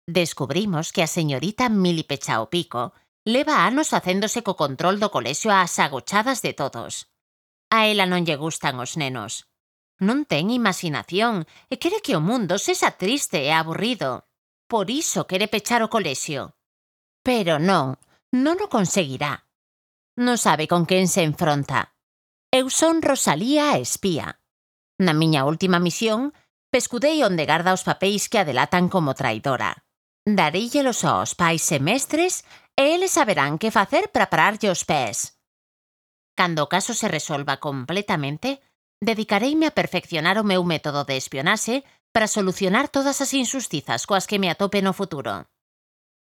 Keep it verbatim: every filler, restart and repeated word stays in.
Descubrimos que a señorita Mili Pechao Pico leva anos facéndose co control do colexio ás agochadas de todos. A ela non lle gustan os nenos. Non ten imaginación e quere que o mundo sexa triste e aburrido. Por iso quere pechar o colexio. Pero non, non o conseguirá. Non sabe con quen se enfronta. Eu son Rosalía a espía. Na miña última misión, pescudei onde garda os papéis que a delatan como traidora. Dareillelos aos pais e mestres e eles saberán que facer para pararlle os pés. Cando o caso se resolva completamente, dedicareime a perfeccionar o meu método de espionaxe para solucionar todas as injustizas coas que me atope no futuro.